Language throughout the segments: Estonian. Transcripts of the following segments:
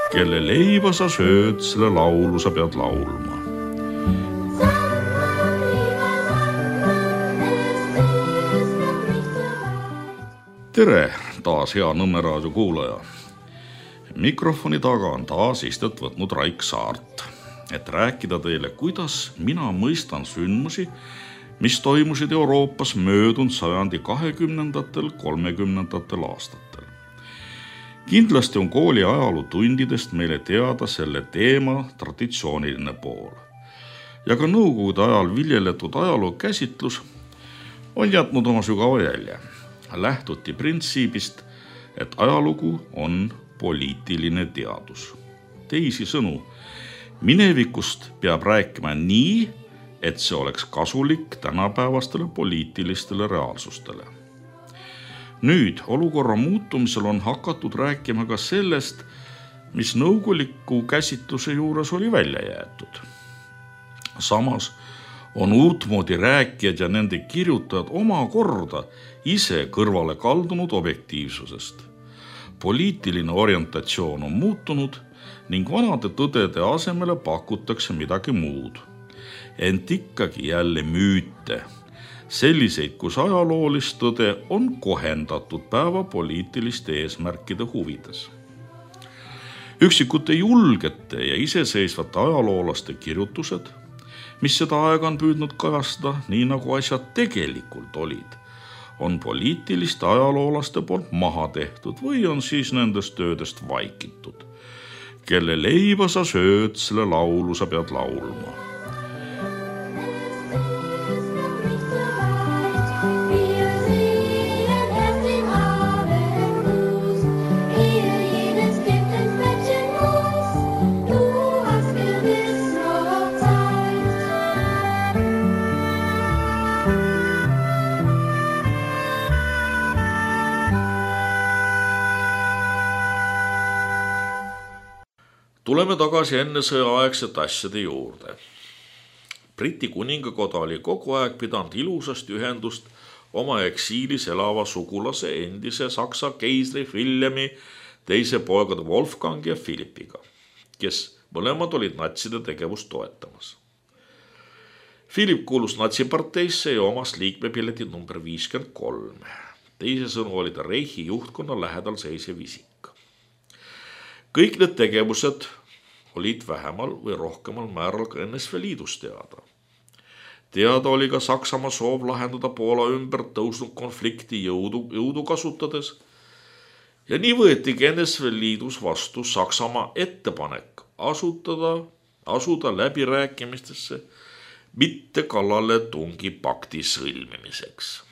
Kelle leiba sa sööd, selle laulu sa pead laulma. Tere taas hea Nõmme raadio kuulaja. Mikrofoni taga on taas istet võtnud Raik Saart, et rääkida teile, kuidas mina mõistan sündmusi, mis toimusid Euroopas möödunud sajandi 20–30 aastatel. Kindlasti on kooli ajalootundidest meile teada selle teema traditsiooniline pool. Ja ka nõukogude ajal viljeletud ajaloo käsitlus on jätnud oma sügava jälje. Lähtuti printsiibist, et ajalugu on poliitiline teadus. Teisisõnu, minevikust peab rääkima nii, et see oleks kasulik tänapäevastele poliitilistele reaalsustele. Nüüd olukorra muutumisel on hakatud rääkima ka sellest, mis nõukoguliku käsitluse juures oli välja jäetud. Samas on uutmoodi rääkijad ja nende kirjutajad omakorda ise kõrvale kaldunud objektiivsusest. Poliitiline orientatsioon on muutunud ning vanade tõdede asemele pakutakse midagi muud. Ent ikkagi jälle müüte, selliseid, kus ajaloolist tõde on kohendatud päeva poliitiliste eesmärkide huvides. Üksikute julgete ja iseseisvate ajaloolaste kirjutused, mis seda aega on püüdnud kajastada nii nagu asjad tegelikult olid, on poliitiliste ajaloolaste poolt maha tehtud või on siis nendest töödest vaikitud. Kelle leiba sa sööd, selle laulu sa pead laulma. Tuleme tagasi enne sõjaaegsete asjade juurde. Briti kuningakoda oli kogu aeg pidanud ilusast ühendust oma eksiilis elava sugulase endise Saksa keisri Villemi teise poegade Wolfgang ja Philippiga, kes mõlemad olid natside tegevust toetamas. Philip kuulus natsiparteisse ja omas liikmepilletid number 53. Teisisõnu oli ta Reichi juhtkonna lähedal seisev isik. Kõik need tegevused olid vähemal või rohkemal määral ka NSV Liidus teada. Teada oli ka Saksamaa soov lahendada Poola ümber tõusnud konflikti jõudu kasutades ja nii võetigi NSV Liidus vastu Saksamaa ettepanek asuda läbirääkimistesse mitte kallale tungi pakti sõlmimiseks.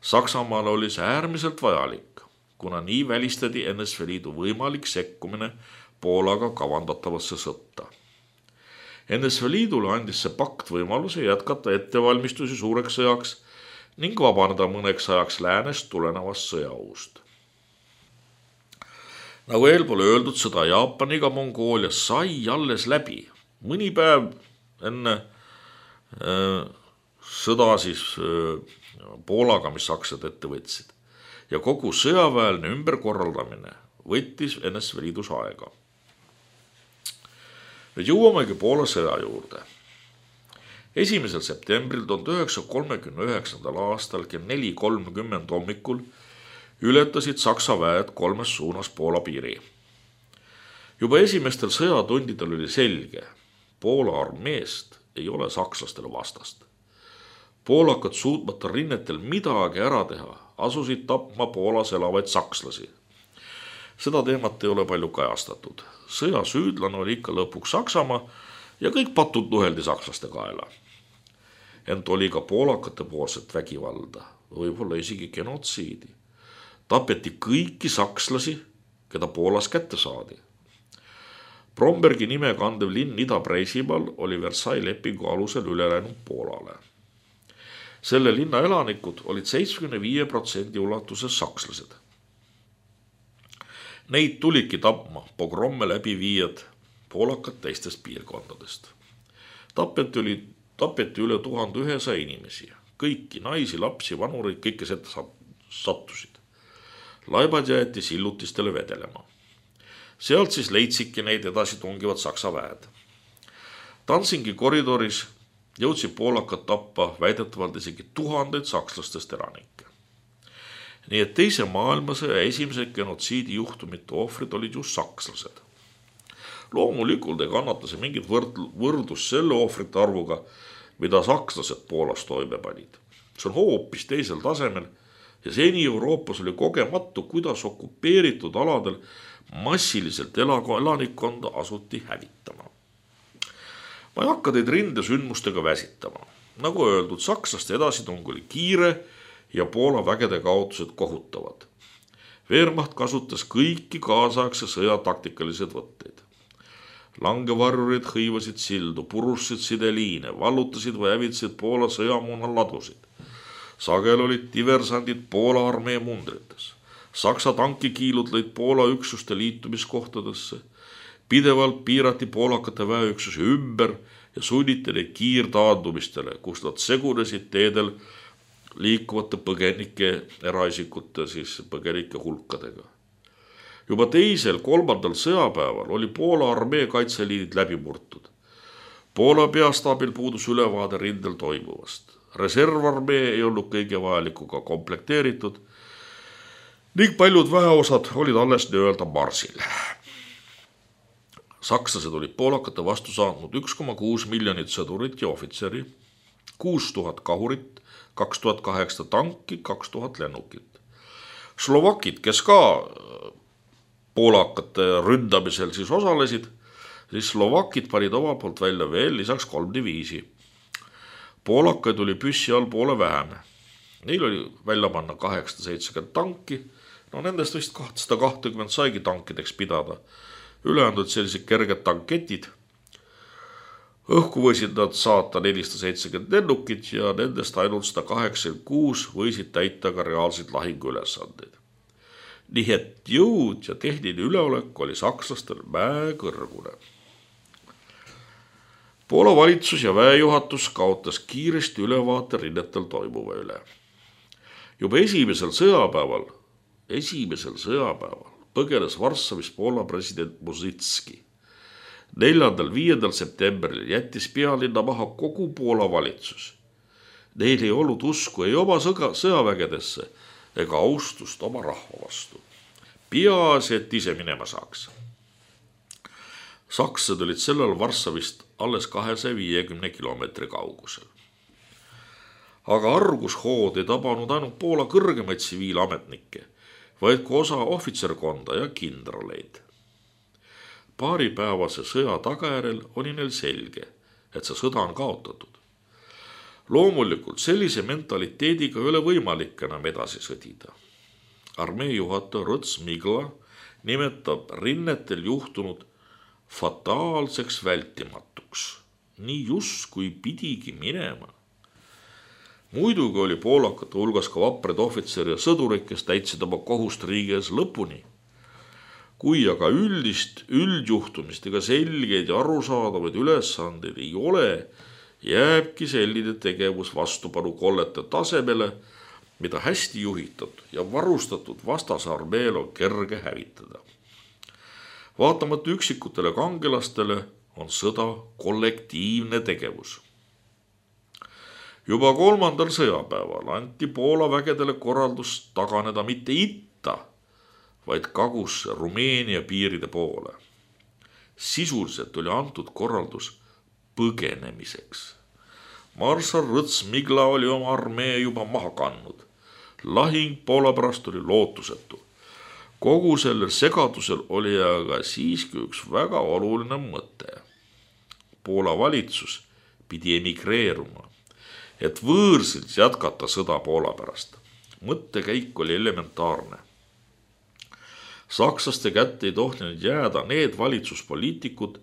Saksamaale oli see äärmiselt vajalik, kuna nii välistati NSV Liidu võimalik sekkumine Poolaga kavandatavasse sõtta. NSV Liidule andis see pakt võimaluse jätkata ettevalmistusi suureks sõjaks ning vabaneda mõneks ajaks läänest tulenevast sõjaohust. Nagu eelpool öeldud, sõda Jaapaniga Mongoolias sai alles läbi. Mõni päev enne sõda siis Poolaga, mis sakslased ette võtsid. Ja kogu sõjaväeline ümberkorraldamine võttis NSV Liidus aega. Nüüd jõuamegi Poola sõja juurde. 1. septembril 1939. aastal kell 4:30 hommikul ületasid Saksa väed kolmes suunas Poola piiri. Juba esimestel sõjatundidel oli selge, Poola armeest ei ole sakslastele vastast. Poolakad suutmata rinnetel midagi ära teha, asusid tapma Poolas elavaid sakslasi. Seda teemat ei ole palju kajastatud. Sõja süüdlane oli ikka lõpuks Saksamaa ja kõik patud nuheldi sakslaste kaela. Ent oli ka poolakate poolset vägivalda, võib-olla isegi genotsiidi. Tapeti kõiki sakslasi, keda Poolas kätte saadi. Brombergi nime kandev linn Ida-Preisimaal oli Versailles lepingu alusel üle läinud Poolale. Selle linna elanikud olid 75% ulatuses sakslased. Neid tulidki tapma pogromme läbi viijad poolakad teistest piirkondadest. Tapeti üle 1100 inimesi, kõiki naisi, lapsi, vanureid, kõike seda sattusid. Laibad jäeti sillutistele vedelema. Sealt siis leidsidki neid edasi tungivad Saksa väed. Danzingi koridoris jõudsid poolakad tappa väidetavalt isegi tuhandeid sakslastest elanikke. Nii et teise maailmasõja esimesed genotsiidi juhtumite ohvrid olid just sakslased. Loomulikult ei kannata see mingit võrdlust selle ohvrite arvuga, mida sakslased Poolas toime panid. See on hoopis teisel tasemel ja seni Euroopas oli kogematu, kuidas okupeeritud aladel massiliselt elanikkonda asuti hävitama. Ma ei hakka teid rindesündmustega väsitama. Nagu öeldud, sakslaste edasitung oli kiire ja Poola vägede kaotused kohutavad. Wehrmacht kasutas kõiki kaasaegse sõja taktikalised võtteid. Langevarjurid hõivasid sildu, purustasid sideliine, vallutasid või hävitasid Poola sõjamoona ladusid. Sagel olid diversandid Poola armee mundrites. Saksa tankikiilud lõid Poola üksuste liitumiskohtadesse. Pidevalt piirati poolakate väeüksusi ümber ja sunniti neid kiirtaandumistele, kus nad segunesid teedel liikuvate põgenike eraisikute põgenike hulkadega. Juba teisel, 3. sõjapäeval oli Poola armee kaitseliinid läbi murtud. Poola peastaabil puudus ülevaade rindel toimuvast. Reservarmee ei olnud kõige vajalikuga komplekteeritud ning paljud väeosad olid alles nii-öelda marsil. Sakslased olid poolakate vastu saanud 1,6 miljonit sõdurit ja ohvitseri, 6000 kahurit, 2008 tanki, 2000 lennukit. Slovakid, kes ka poolakate ründamisel siis osalesid, siis slovakid panid oma poolt välja veel lisaks 3 diviisi. Poolakaid oli püssi all poole vähem. Neil oli välja panna 870 tanki, nendest vist 220 saigi tankideks pidada. Ülejäänud sellised kerged tanketid. Õhku võisid nad saata 470 lennukit ja nendest ainult 186 võisid täita ka reaalseid lahinguülesandeid. Nii et jõud ja tehniline üleolek oli sakslastel mäekõrgune. Poola valitsus ja väejuhatus kaotas kiiresti ülevaate rinnetel toimuva üle. Juba esimesel sõjapäeval põgenes Varssavis Poola president Musicki. 4.–5. septembril jättis pealinna maha kogu Poola valitsus. Neil ei olnud usku ei oma sõjavägedesse ega austust oma rahva vastu. Peaasi, et ise minema saaks. Sakslased olid sellel Varssavist alles 250 kilomeetri kaugusel. Aga argushood ei tabanud ainult Poola kõrgemaid tsiviilametnikke, vaid ka osa ohvitserkonda ja kindraleid. Paaripäevase sõja tagajärjel oli neil selge, et see sõda on kaotatud. Loomulikult sellise mentaliteediga ei ole võimalik enam edasi sõdida. Armee juhataja Rõts Migla nimetab rinnetel juhtunud fataalseks vältimatuks. Nii just kui pidigi minema. Muidugi oli poolakate hulgas ka vapred ohvitseri ja sõdurid, kes täitsid oma kohust riigi ees lõpuni. Kui aga üldjuhtumist ega selgeid ja arusaadavaid ülesandeid ei ole, jääbki selline tegevus vastupanu kollete tasemele, mida hästi juhitud ja varustatud vastasarmeel on kerge hävitada. Vaatamata üksikutele kangelastele on sõda kollektiivne tegevus. Juba 3. sõjapäeval anti Poola vägedele korraldus taganeda mitte itta, vaid kagusse Rumeenia piiride poole. Sisuliselt oli antud korraldus põgenemiseks. Marssal Rõts Migla oli oma armee juba maha kandnud. Lahing Poola pärast oli lootusetu. Kogu sellel segadusel oli aga siiski üks väga oluline mõte. Poola valitsus pidi emigreeruma, et võõrsilt jätkata sõda Poola pärast. Mõttekäik oli elementaarne. Sakslaste kätte ei tohtinud jääda need valitsuspoliitikud,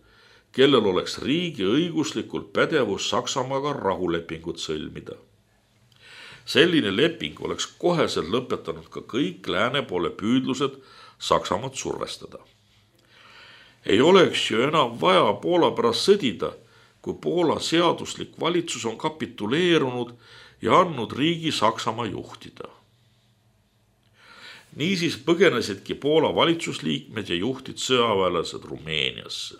kellel oleks riigi õiguslikult pädevus Saksamaaga rahulepingut sõlmida. Selline leping oleks koheselt lõpetanud ka kõik lääne poole püüdlused Saksamaad survestada. Ei oleks ju enam vaja Poola pärast sõdida, kui Poola seaduslik valitsus on kapituleerunud ja andnud riigi Saksamaa juhtida. Niisiis põgenesidki Poola valitsusliikmed ja juhtid sõjaväelased Rumeeniasse.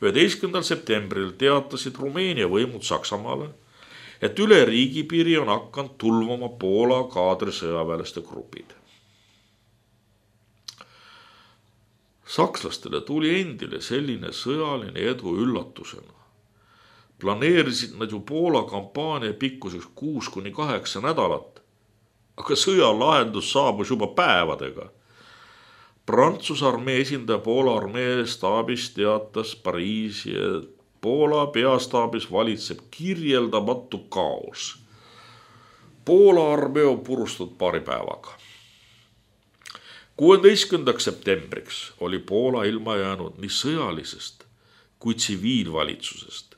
11. septembril teatasid Rumeenia võimud Saksamaale, et üle riigipiiri on hakanud tulvama Poola kaadrisõjaväelaste grupid. Sakslastele tuli endile selline sõjaline edu üllatusena. Planeerisid nad ju Poola kampaania pikkuseks 6-8 nädalat, aga sõja lahendus saabus juba päevadega. Prantsuse armee esindaja Poola armee staabis teatas Pariisi, et Poola peastaabis valitseb kirjeldamatu kaos. Poola armee on purustatud paari päevaga. 16. septembriks oli Poola ilma jäänud nii sõjalisest kui tsiviilvalitsusest.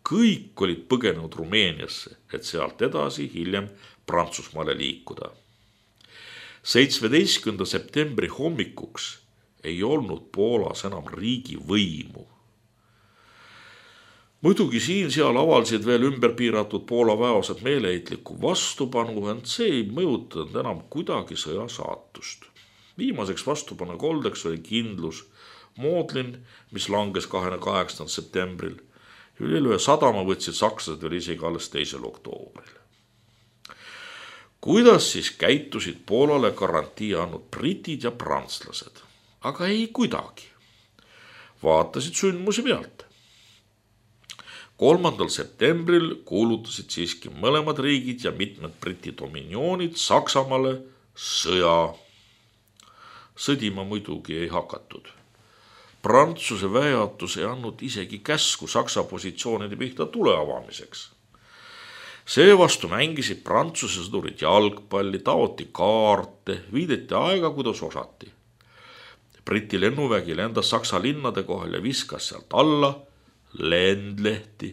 Kõik olid põgenenud Rumeeniasse, et sealt edasi hiljem Prantsusmaale liikuda. 17. septembri hommikuks ei olnud Poolas enam riigi võimu. Muidugi siin-seal avaldasid veel ümberpiiratud Poola väeosad meeleheitlikku vastupanu, ent see ei mõjutanud enam kuidagi sõja saatust. Viimaseks vastupanekoldeks oli kindlus Modlin, mis langes 28. septembril. Üle sadama võtsid sakslased veel isegi alles 2. oktoobril. Kuidas siis käitusid Poolale garantii andnud britid ja prantslased? Aga ei kuidagi. Vaatasid sündmusi pealt. 3. septembril kuulutasid siiski mõlemad riigid ja mitmed briti dominioonid Saksamaale sõja. Sõdima muidugi ei hakatud. Prantsuse väejuhatus ei andnud isegi käsku Saksa positsioonide pihta tule avamiseks. Seevastu mängisid Prantsuse sõdurid jalgpalli, taoti kaarte, viideti aega, kuidas osati. Briti lennuvägi lendas Saksa linnade kohal ja viskas sealt alla lendlehti.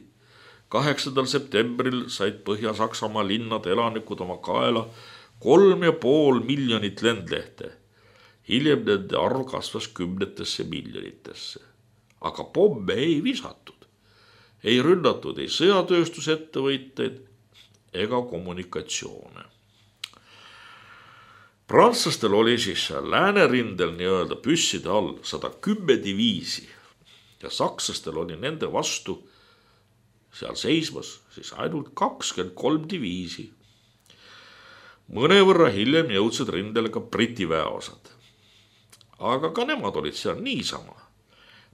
8. septembril said Põhja-Saksamaa linnade elanikud oma kaela 3,5 miljonit lendlehte. Hiljem nende arv kasvas 10 miljonitesse. Aga pomme ei visatud. Ei rünnatud ei sõjatööstusettevõtteid ega kommunikatsioone. Prantslastel oli siis läänerindel nii-öelda püsside all 110 diviisi ja sakslastel oli nende vastu seal seismas siis ainult 23 diviisi. Mõnevõrra hiljem jõudsid rindele ka briti väeosad. Aga ka nemad olid seal niisama.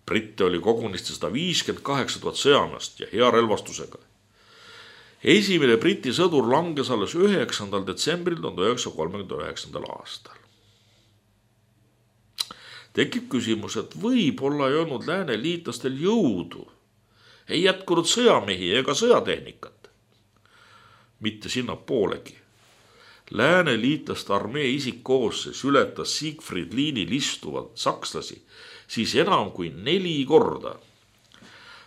Britte oli kogunisti 158 000 sõjameest ja hea relvastusega. Esimene briti sõdur langes alles 9. detsembril 1939. aastal. Tekib küsimus, et võib-olla ei olnud lääne liitlastel jõudu. Ei jätkunud sõjamehi ega sõjatehnikat. Mitte sinna poolegi. Lääne liitlaste armee isikkoosseis ületas Siegfried liinil istuvad sakslasi siis enam kui 4 korda.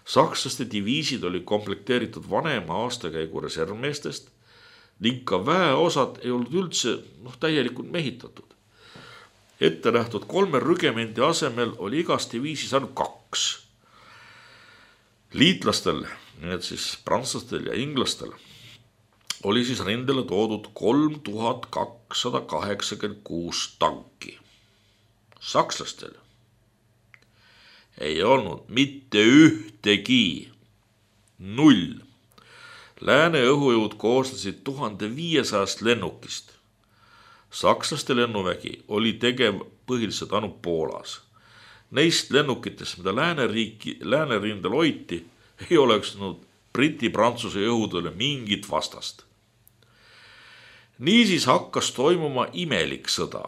Sakslaste diviisid oli komplekteeritud vanema aastakäigu reservmeestest ning ka väeosad ei olnud üldse täielikult mehitatud. Ette nähtud 3 rügemendi asemel oli igas diviisis ainult 2. Liitlastel, need siis prantslastel ja inglastel, oli siis rindele toodud 3286 tanki. Sakslastel ei olnud mitte ühtegi, 0. Lääne õhujõud koosnesid 1500 lennukist. Sakslaste lennuvägi oli tegev põhiliselt ainult Poolas. Neist lennukitest, mida läänerindel hoiti, ei oleks Briti-Prantsuse jõudule mingit vastast. Niisiis hakkas toimuma imelik sõda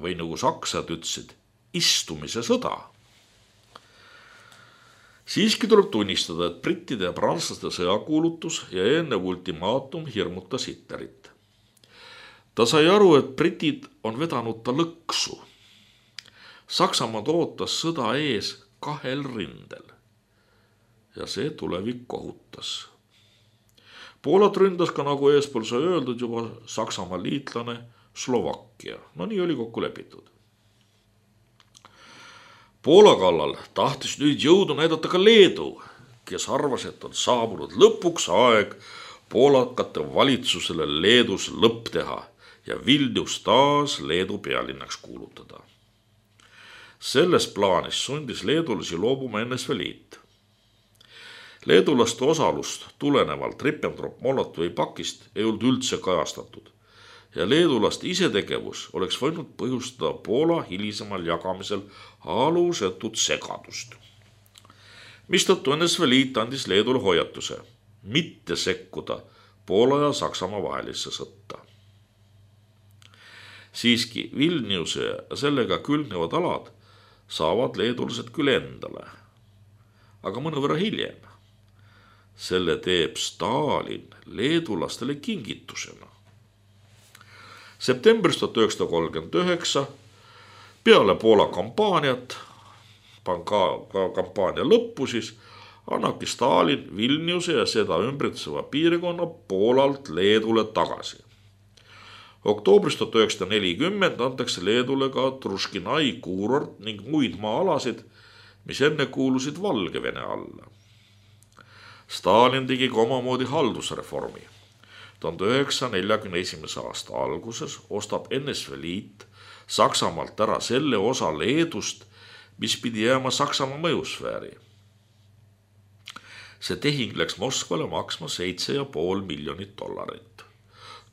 või nagu saksad ütlesid, istumise sõda. Siiski tuleb tunnistada, et brittide ja prantslaste sõjakuulutus ja eelnev ultimaatum hirmutas Hitlerit. Ta sai aru, et britid on vedanud ta lõksu. Saksamaad ootas sõda ees 2 rindel ja see tulevik kohutas. Poolat ründas ka, nagu eespool sai öeldud, juba Saksamaa liitlane Slovakkia. No nii oli kokku lepitud. Poola kallal tahtis nüüd jõudu näidata ka Leedu, kes arvas, et on saabunud lõpuks aeg poolakate valitsusele Leedus lõpp teha ja Vilnius taas Leedu pealinnaks kuulutada. Selles plaanis sundis leedulasi loobuma NSV Liit. Leedulaste osalust tulenevalt Ribbentrop-Molotovi paktist ei olnud üldse kajastatud ja leedulaste isetegevus oleks võinud põhjustada Poola hilisemal jagamisel alusetut segadust. Mistõttu NSV Liit andis Leedule hoiatuse mitte sekkuda Poola ja Saksamaa vahelisse sõtta. Siiski Vilniuse ja sellega külgnevad alad saavad leedulased küll endale, aga mõnevõrra hiljem. Selle teeb Stalin leedulastele kingitusena. Septembris 1939 peale Poola kampaaniat, kampaania lõppu siis, annabki Stalin Vilniuse ja seda ümbritseva piirkonna Poolalt Leedule tagasi. Oktoobris 1940 antakse Leedule ka Truškinai kuurort ning muid maa-alasid, mis enne kuulusid Valgevene alla. Stalin tegi ka omamoodi haldusreformi. 1941. aasta alguses ostab NSV Liit Saksamaalt ära selle osa Leedust, mis pidi jääma Saksamaa mõjusfääri. See tehing läks Moskvale maksma $7,5 miljonit.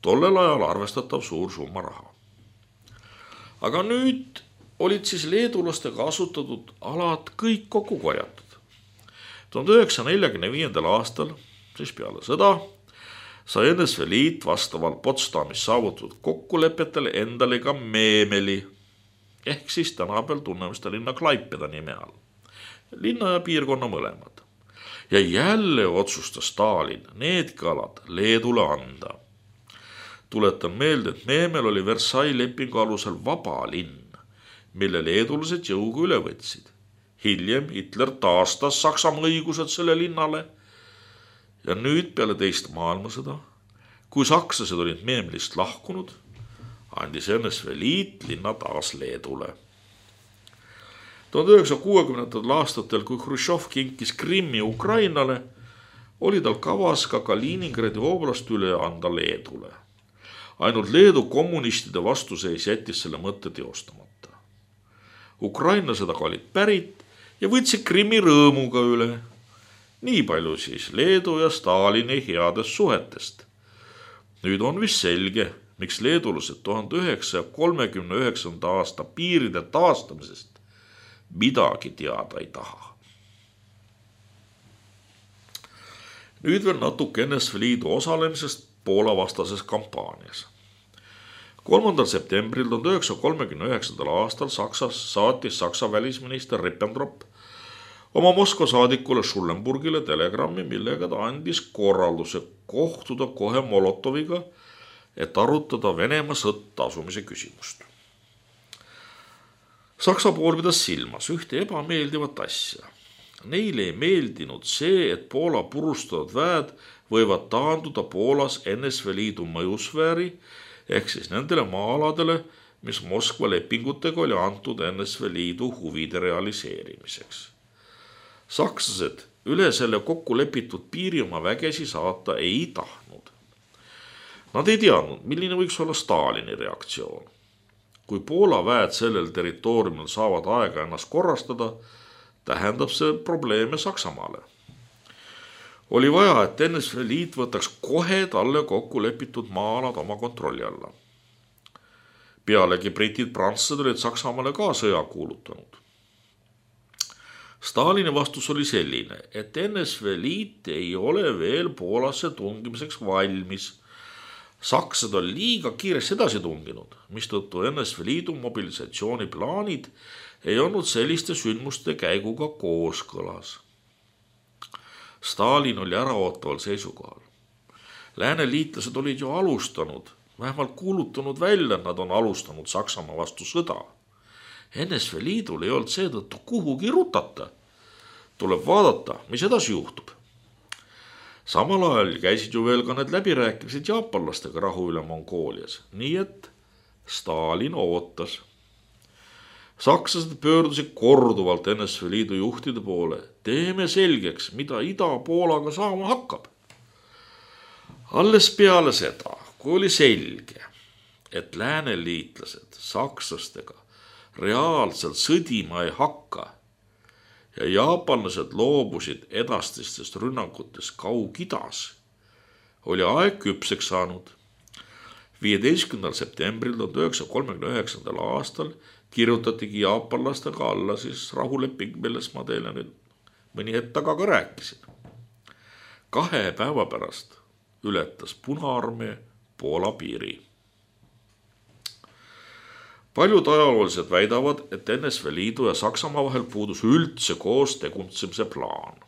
Tollel ajal arvestatav suur summa raha. Aga nüüd olid siis leedulastega asutatud alad kõik kokku korjatud. 1945. aastal, siis peale sõda, sai NSV Liit vastavalt Potsdamis saavutatud kokkulepetele endale ka Meemeli, ehk siis tänapäeval tunneme seda linna Klaipeda nime all. Linna ja piirkonna mõlemad. Ja jälle otsustas Stalin needki alad Leedule anda. Tuletan meelde, et Meemel oli Versailles lepingu alusel vaba linn, mille leedulased jõuga üle võtsid. Hiljem Hitler taastas Saksamaa õigused selle linnale ja nüüd peale teist maailmasõda, kui sakslased olid Meemelist lahkunud, andis NSV Liit linna taas Leedule. 1960. aastatel, kui Hruštšov kinkis Krimmi Ukrainale, oli tal kavas ka Kaliningradi oblast üle anda Leedule. Ainult Leedu kommunistide vastuseis jättis selle mõtte teostamata. Ukrainlased aga olid pärit ja võtsid Krimmi rõõmuga üle. Nii palju siis Leedu ja Stalini headest suhetest. Nüüd on vist selge, miks leedulased 1939. aasta piiride taastamisest midagi teada ei taha. Nüüd veel natuke NSV Liidu osalemisest Poola vastases kampaanias. 3. septembril 1939. aastal saatis Saksa välisminister Ribbentrop oma Moskva saadikule Schellenburgile telegrammi, millega ta andis korralduse kohtuda kohe Molotoviga, et arutada Venemaa sõtta asumise küsimust. Saksa pool pidas silmas ühte ebameeldivat asja. Neile ei meeldinud see, et Poola purustatud väed võivad taanduda Poolas NSV Liidu mõjusfääri ehk siis nendele maa-aladele, mis Moskva lepingutega oli antud NSV Liidu huvide realiseerimiseks. Sakslased üle selle kokku lepitud piiri oma vägesi saata ei tahtnud. Nad ei teadnud, milline võiks olla Stalini reaktsioon. Kui Poola väed sellel territooriumil saavad aega ennast korrastada, tähendab see probleeme Saksamaale. Oli vaja, et NSV Liit võtaks kohe talle kokku lepitud maa-alad oma kontrolli alla. Pealegi britid prantslased olid Saksamaale ka sõja kuulutanud. Stalini vastus oli selline, et NSV Liit ei ole veel Poolasse tungimiseks valmis. Sakslased on liiga kiiresti edasi tunginud, mistõttu NSV Liidu mobilisatsiooniplaanid ei olnud selliste sündmuste käiguga kooskõlas. Stalin oli äraootaval seisukohal. Lääne liitlased olid ju alustanud, vähemalt kuulutanud välja, et nad on alustanud Saksamaa vastu sõda. NSV Liidul ei olnud seetõttu kuhugi rutata. Tuleb vaadata, mis edasi juhtub. Samal ajal käisid ju veel ka need läbirääkimised jaapanlastega rahu üle Mongoolias, nii et Stalin ootas. Sakslased pöördusid korduvalt NSV Liidu juhtide poole. Teeme selgeks, mida Ida-Poolaga saama hakkab. Alles peale seda, kui oli selge, et lääneliitlased sakslastega reaalselt sõdima ei hakka ja jaapanlased loobusid edastistest rünnakutest Kaug-Idas, oli aeg küpseks saanud. 15. septembril 1939. aastal kirjutatigi jaapanlastega alla siis rahuleping, millest ma teile nüüd mõni hetk taga ka rääkisin. 2 päeva pärast ületas Punaarmee Poola piiri. Paljud ajaloolised väidavad, et NSV Liidu ja Saksamaa vahel puudus üldse koos tegutsemise plaan.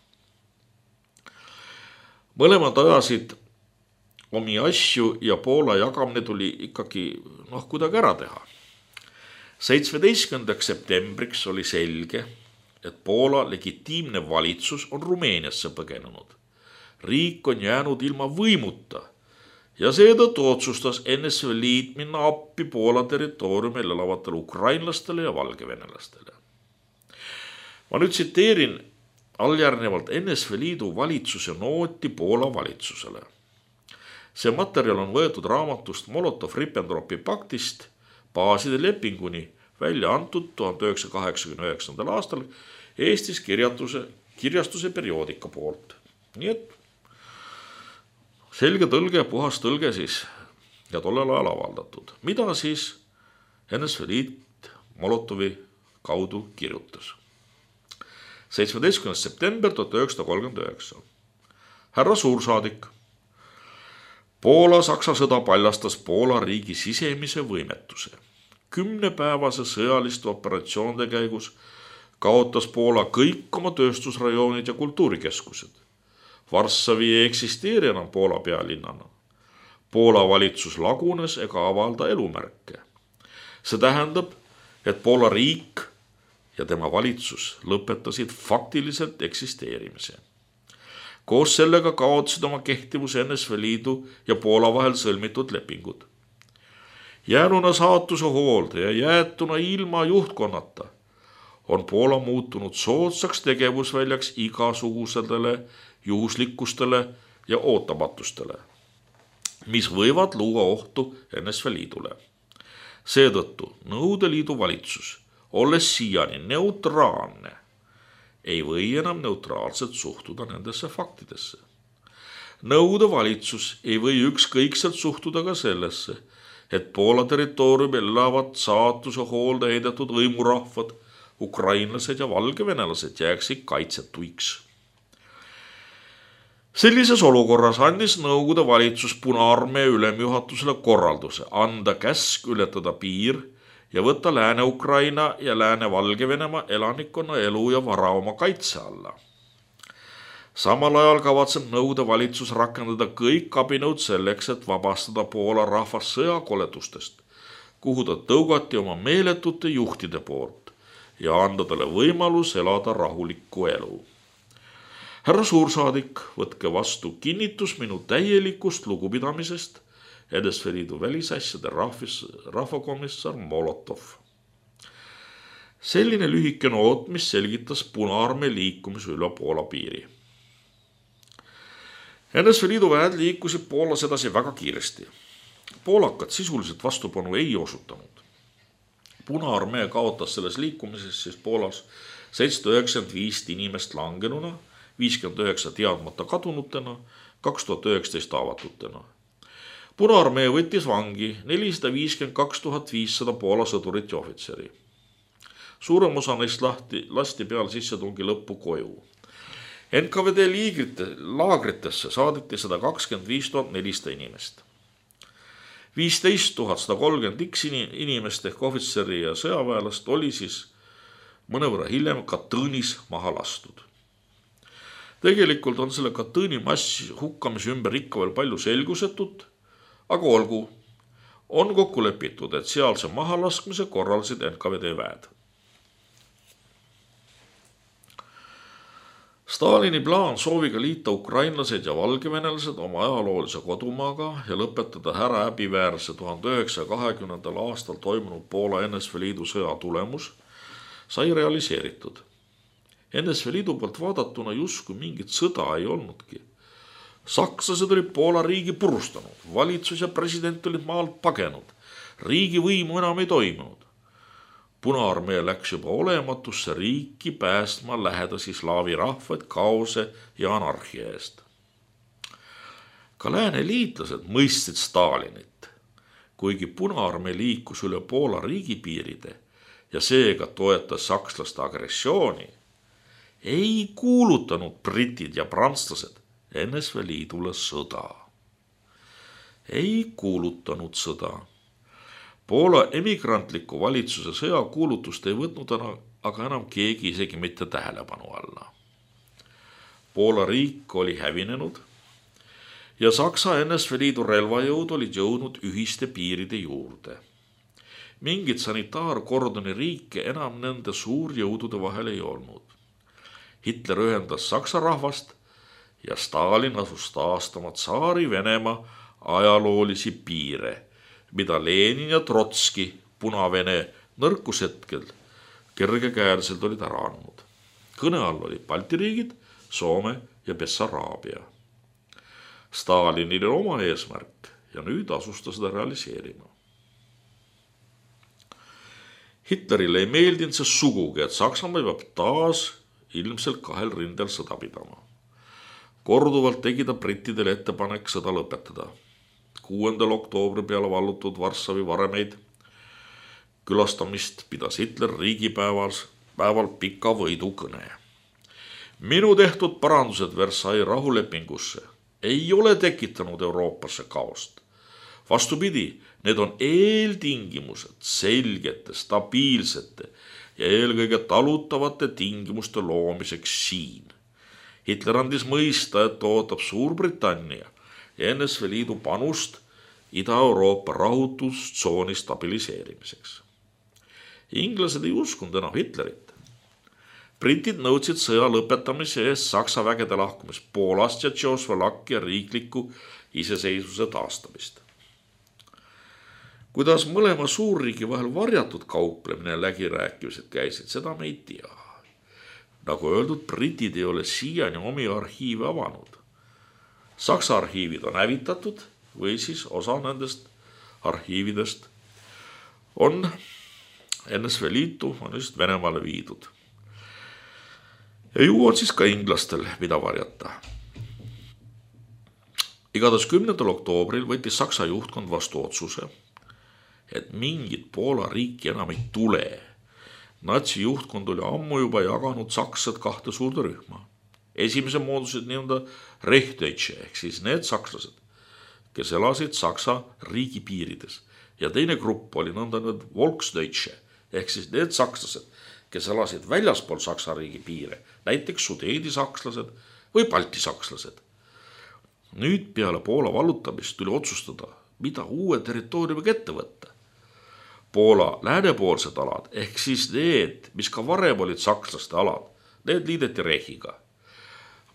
Mõlemad ajasid omi asju ja Poola jagamine tuli ikkagi kuidagi ära teha. 17. septembriks oli selge, et Poola legitiimne valitsus on Rumeeniasse põgenenud. Riik on jäänud ilma võimuta ja seetõttu otsustas NSV Liit minna appi Poola territooriumil elavatele ukrainlastele ja valgevenelastele. Ma nüüd tsiteerin alljärgnevalt NSV Liidu valitsuse nooti Poola valitsusele. See materjal on võetud raamatust Molotov-Ribbentropi paktist baaside lepinguni välja antud 1989. aastal Eestis kirjastuse perioodika poolt. Nii et selge tõlge, puhas tõlge siis ja tollel ajal avaldatud. Mida siis NSV Liit Molotovi kaudu kirjutas? 17. september 1939. Härra suursaadik. Poola-Saksa sõda paljastas Poola riigi sisemise võimetuse. 10-päevase sõjaliste operatsioonide käigus kaotas Poola kõik oma tööstusrajoonid ja kultuurikeskused. Varssavi ei eksisteeri enam Poola pealinnana. Poola valitsus lagunes ega avalda elumärke. See tähendab, et Poola riik ja tema valitsus lõpetasid faktiliselt eksisteerimise. Koos sellega kaotasid oma kehtivuse NSV Liidu ja Poola vahel sõlmitud lepingud. Jäänuna saatuse hoolde ja jäetuna ilma juhtkonnata on Poola muutunud soodsaks tegevusväljaks igasugusedele juhuslikkustele ja ootamatustele, mis võivad luua ohtu NSV Liidule. Seetõttu Nõukogude Liidu valitsus, olles siiani neutraalne, ei või enam neutraalselt suhtuda nendesse faktidesse. Nõukogude valitsus ei või ükskõikselt suhtuda ka sellesse, et Poola territooriumil elavad saatuse hoolde heidetud hõimurahvad, ukrainlased ja valgevenelased jääksid kaitsetuiks. Sellises olukorras andis Nõukogude valitsus Punaarmee ülemjuhatusele korralduse anda käsk ületada piir ja võtta Lääne-Ukraina ja Lääne-Valgevenemaa elanikkonna elu ja vara oma kaitse alla. Samal ajal kavatseb Nõukogude valitsus rakendada kõik abinõud selleks, et vabastada Poola rahvas sõjakoledustest, kuhu ta tõugati oma meeletute juhtide poolt ja anda talle võimalus elada rahulikku elu. Härra suursaadik, võtke vastu kinnitus minu täielikust lugupidamisest NSV Liidu välisasjade rahvakomissar Molotov. Selline lühike noot, mis selgitas Punaarmee liikumise üle Poola piiri. NSV Liidu väed liikusid Poolas edasi väga kiiresti. Poolakad sisuliselt vastupanu ei osutanud. Punaarmee kaotas selles liikumises siis Poolas 795 inimest langenuna, 59 teadmata kadunutena, 2019 avatutena. Punaarmee võttis vangi 452 500 Poola sõdurit ja ohvitseri. Suurem osa neist lasti peal sissetungi lõppu koju. NKVD laagritesse saadeti 125 400 inimest. 15 130 inimest ehk ohvitseri ja sõjaväelast oli siis mõnevõrra hiljem Katõnis maha lastud. Tegelikult on selle Katõni massi hukkamise ümber ikka veel palju selgusetut, aga olgu, on kokku lepitud, et sealse mahalaskmise korraldasid NKVD väed. Stalini plaan sooviga liita ukrainlased ja valgevenelased oma ajaloolise kodumaaga ja lõpetada ära häbiväärse 1920. aastal toimunud Poola NSV Liidu sõja tulemus sai realiseeritud. NSV Liidu poolt vaadatuna justkui mingit sõda ei olnudki. Sakslased olid Poola riigi purustanud, valitsus ja president olid maalt pagenud, riigivõimu enam ei toimunud. Punaarmee läks juba olematusse riiki päästma lähedasi slaavi rahvaid kaose ja anarhia eest. Ka lääne liitlased mõistsid Stalinit, kuigi Punaarmee liikus üle Poola riigipiiride ja seega toetas sakslaste agressiooni, ei kuulutanud britid ja prantslased NSV Liidule sõda. Ei kuulutanud sõda. Poola emigrantliku valitsuse sõjakuulutust ei võtnud aga enam keegi isegi mitte tähelepanu alla. Poola riik oli hävinenud ja Saksa NSV Liidu relvajõud olid jõudnud ühiste piiride juurde. Mingit sanitaarkordoni riike enam nende suurjõudude vahel ei olnud. Hitler ühendas Saksa rahvast ja Stalin asus taastama tsaari Venemaa ajaloolisi piire, mida Lenin ja Trotski Puna-Vene nõrkushetkel kergekäeliselt olid ära andnud. Kõne all olid Balti riigid, Soome ja Bessaraabia. Stalinil oli oma eesmärk ja nüüd asus ta seda realiseerima. Hitlerile ei meeldinud see sugugi, et Saksamaa peab taas ilmselt kahel rindel sõda pidama. Korduvalt tegi ta brittidele ettepanek sõda lõpetada. 6. oktoobri peale vallutud Varssavi varemeid külastamist pidas Hitler riigipäeval pika võidukõne. Minu tehtud parandused Versailles rahulepingusse ei ole tekitanud Euroopasse kaost. Vastupidi, need on eeltingimused selgete, stabiilsete ja eelkõige talutavate tingimuste loomiseks siin. Hitler andis mõista, et ootab Suurbritannia ja NSV Liidu panust Ida-Euroopa rahutustsooni stabiliseerimiseks. Inglased ei uskunud enam Hitlerit. Britid nõudsid sõja lõpetamise eest Saksa vägede lahkumist Poolast ja Tšehhoslovakkia riikliku iseseisvuse taastamist. Kuidas mõlema suurriigi vahel varjatud kauplemine ja läbirääkimised käisid, seda me ei tea. Nagu öeldud, britid ei ole siiani omi arhiive avanud. Saksa arhiivid on hävitatud või siis osa nendest arhiividest on NSV Liitu, on just Venemaale viidud. Ja ju on siis ka inglastel, mida varjata. Igatahes 10. oktoobril võttis Saksa juhtkond vastu otsuse, et mingit Poola riiki enam ei tule. Natsi juhtkond oli ammu juba jaganud sakslased kahte suurde rühma. Esimese moodusid nii-öelda Rechtdeutsche ehk siis need sakslased, kes elasid Saksa riigi piirides. Ja teine grupp oli nõnda Volksdeutsche ehk siis need sakslased, kes elasid väljaspool Saksa riigi piire, näiteks sudeedi sakslased või Balti sakslased. Nüüd peale Poola vallutamist tuli otsustada, mida uue territooriumiga ette võtta. Poola läänepoolsed alad ehk siis need, mis ka varem olid sakslaste alad, need liideti Rechiga.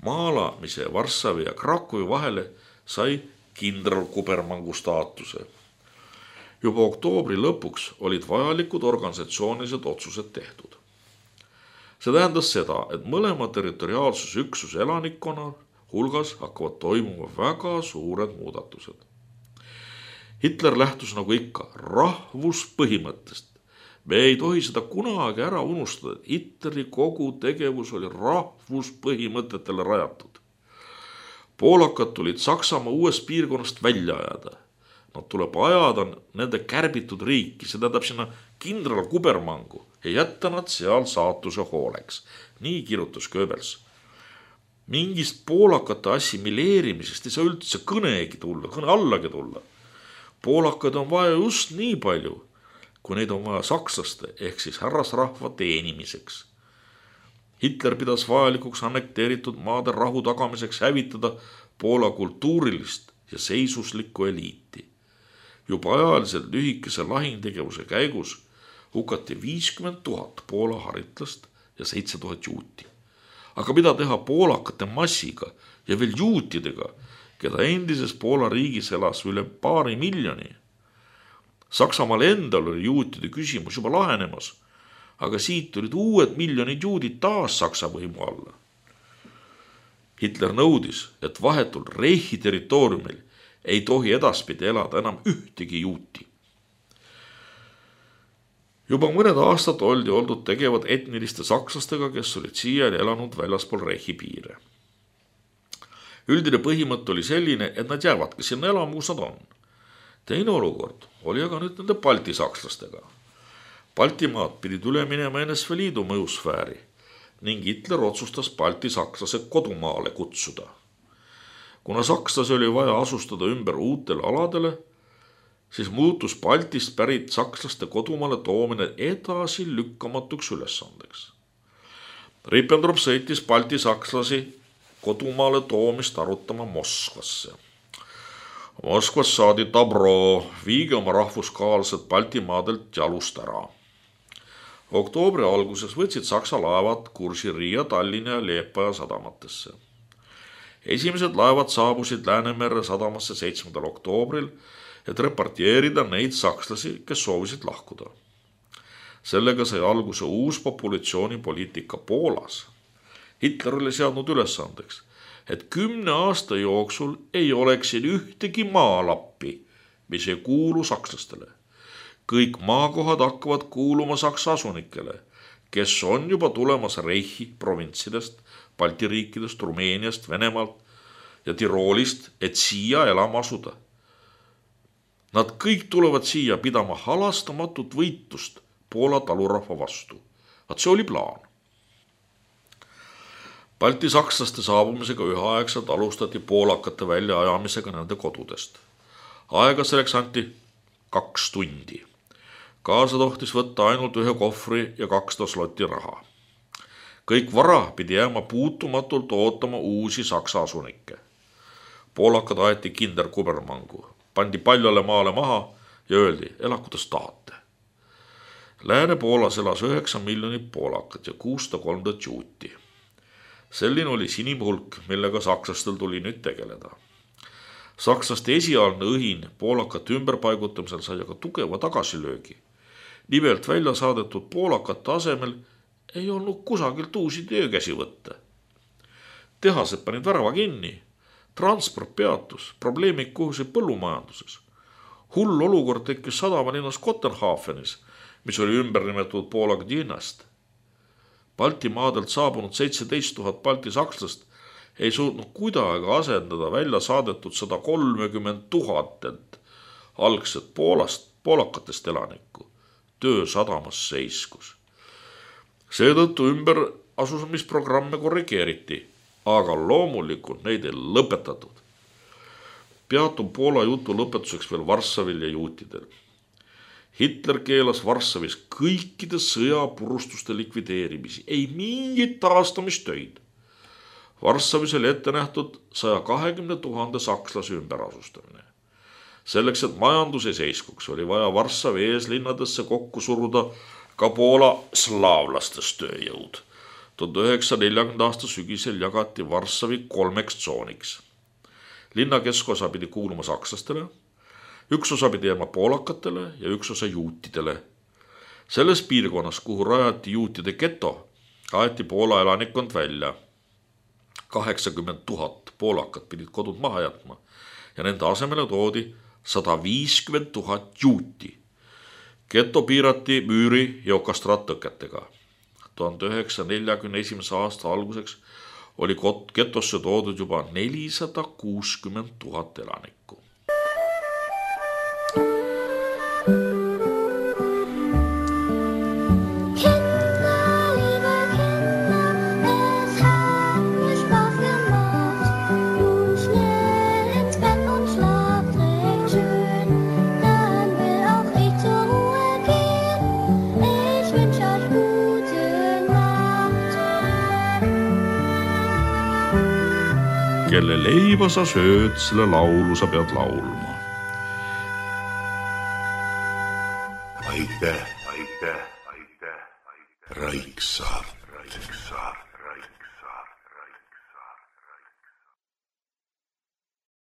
Maalamise Varssavi ja Krakowi vahele sai kindralkubermangu staatuse. Juba oktoobri lõpuks olid vajalikud organisatsioonilised otsused tehtud. See tähendas seda, et mõlema territoriaalsusüksuse elanikkonna hulgas hakkavad toimuma väga suured muudatused. Hitler lähtus nagu ikka rahvuspõhimõttest. Me ei tohi seda kunagi ära unustada, et Hitleri kogu tegevus oli rahvuspõhimõtetele rajatud. Poolakad tulid Saksamaa uuest piirkonnast välja ajada. Nad tuleb ajada nende kärbitud riiki, see tähendab sinna kindralkubermangu ja jätta nad seal saatuse hooleks. Nii kirjutas Goebbels. Mingist poolakate assimileerimisest ei saa üldse kõne allagi tulla. Poolakad on vaja just nii palju, kui neid on vaja sakslaste ehk siis härrasrahva teenimiseks. Hitler pidas vajalikuks annekteeritud maade rahu tagamiseks hävitada Poola kultuurilist ja seisuslikku eliiti. Juba ajaliselt lühikese lahingtegevuse käigus hukati 50 000 Poola haritlast ja 7000 juuti. Aga mida teha poolakate massiga ja veel juutidega, keda endises Poola riigis elas üle 2 miljoni? Saksamaal endal oli juutide küsimus juba lahenemas, aga siit olid uued miljonid juudid taas Saksa võimu alla. Hitler nõudis, et vahetult Reichi territooriumil ei tohi edaspidi elada enam ühtegi juuti. Juba mõned aastad oldi oldud tegevad etniliste sakslastega, kes olid siiani elanud väljaspool Reichi piire. Üldine põhimõte oli selline, et nad jäävadki sinna elama, kus nad on. Teine olukord oli aga nüüd nende Balti sakslastega. Baltimaad pidid üle minema NSV Liidu mõjusfääri ning Hitler otsustas Balti sakslase kodumaale kutsuda. Kuna sakslasi oli vaja asustada ümber uutele aladele, siis muutus Baltist pärit sakslaste kodumaale toomine edasi lükkamatuks ülesandeks. Ribbentrop sõitis Balti sakslasi kodumaale toomist arutama Moskvasse. Moskvas saadi tabro, viige oma rahvuskaalsed Baltimaadelt jalust ära. Oktoobri alguses võtsid Saksa laevad kursi Riia, Tallinna ja Liepaja sadamatesse. Esimesed laevad saabusid Läänemere sadamasse 7. oktoobril, et repartieerida neid sakslasi, kes soovisid lahkuda. Sellega sai alguse uus populatsioonipoliitika Poolas. Hitler oli seadnud ülesandeks, et 10 aasta jooksul ei oleks siin ühtegi maalappi, mis ei kuulu sakslastele. Kõik maakohad hakkavad kuuluma saksa asunikele, kes on juba tulemas Reichi provintsidest, Balti riikidest, Rumeeniast, Venemaalt ja Tiroolist, et siia elama asuda. Nad kõik tulevad siia pidama halastamatut võitlust Poola talurahva vastu. Vaat see oli plaan. Balti sakslaste saabumisega üheaegselt alustati poolakate väljaajamisega nende kodudest. Aega selleks anti 2 tundi. Kaasa tohtis võtta ainult 1 kohvri ja 200 slotti raha. Kõik vara pidi jääma puutumatult ootama uusi saksa asunikke. Poolakad aeti kinderkubermangu, pandi paljale maale maha ja öeldi, ela kuidas tahate. Lääne-Poolas elas 9 miljonit poolakat ja 603 juuti. Selline oli sinimhulk, millega sakslastel tuli nüüd tegeleda. Sakslaste esialgne õhin poolakate ümberpaigutamisel sai aga tugeva tagasilöögi. Nimelt välja saadetud poolakate asemel ei olnud kusagilt uusi töökäsi võtta. Tehased panid värava kinni, transport peatus, probleemid kuhusid põllumajanduses. Hull olukord tekkis sadamalinnas Kopenhaagenis, mis oli ümber nimetatud Poola Gdyniast. Balti maadelt saabunud 17 000 Balti sakslast ei suutnud kuidagi asendada välja saadetud 130 000 algset poolakatest elanikku. Töö sadamas seiskus. Seetõttu ümber asumisprogramme korrigeeriti, aga loomulikult neid ei lõpetatud. Peatub Poola jutu lõpetuseks veel Varssavil ja juutidel. Hitler keelas Varssavis kõikide sõjapurustuste likvideerimisi, ei mingit taastamistöid. Varssavis oli ette nähtud 120 000 sakslase ümberasustamine. Selleks, et majandus ei seiskuks, oli vaja Varssavi eeslinnadesse kokku suruda ka Poola slaavlastest tööjõud. 1940. aasta sügisel jagati Varssavi 3 tsooniks. Linna keskosa pidi kuuluma sakslastele, üks osa pidi jääma poolakatele ja üks osa juutidele. Selles piirkonnas, kuhu rajati juutide geto, aeti Poola elanikkond välja. 80 000 poolakat pidid kodud maha jätma ja nende asemele toodi 150 000 juuti. Geto piirati müüri ja okastraattõketega. 1941. aasta alguseks oli getosse toodud juba 460 000 elanikku. Kelle leiba sa sööd, selle laulu sa pead laulma. Aitäh, Raiksaart.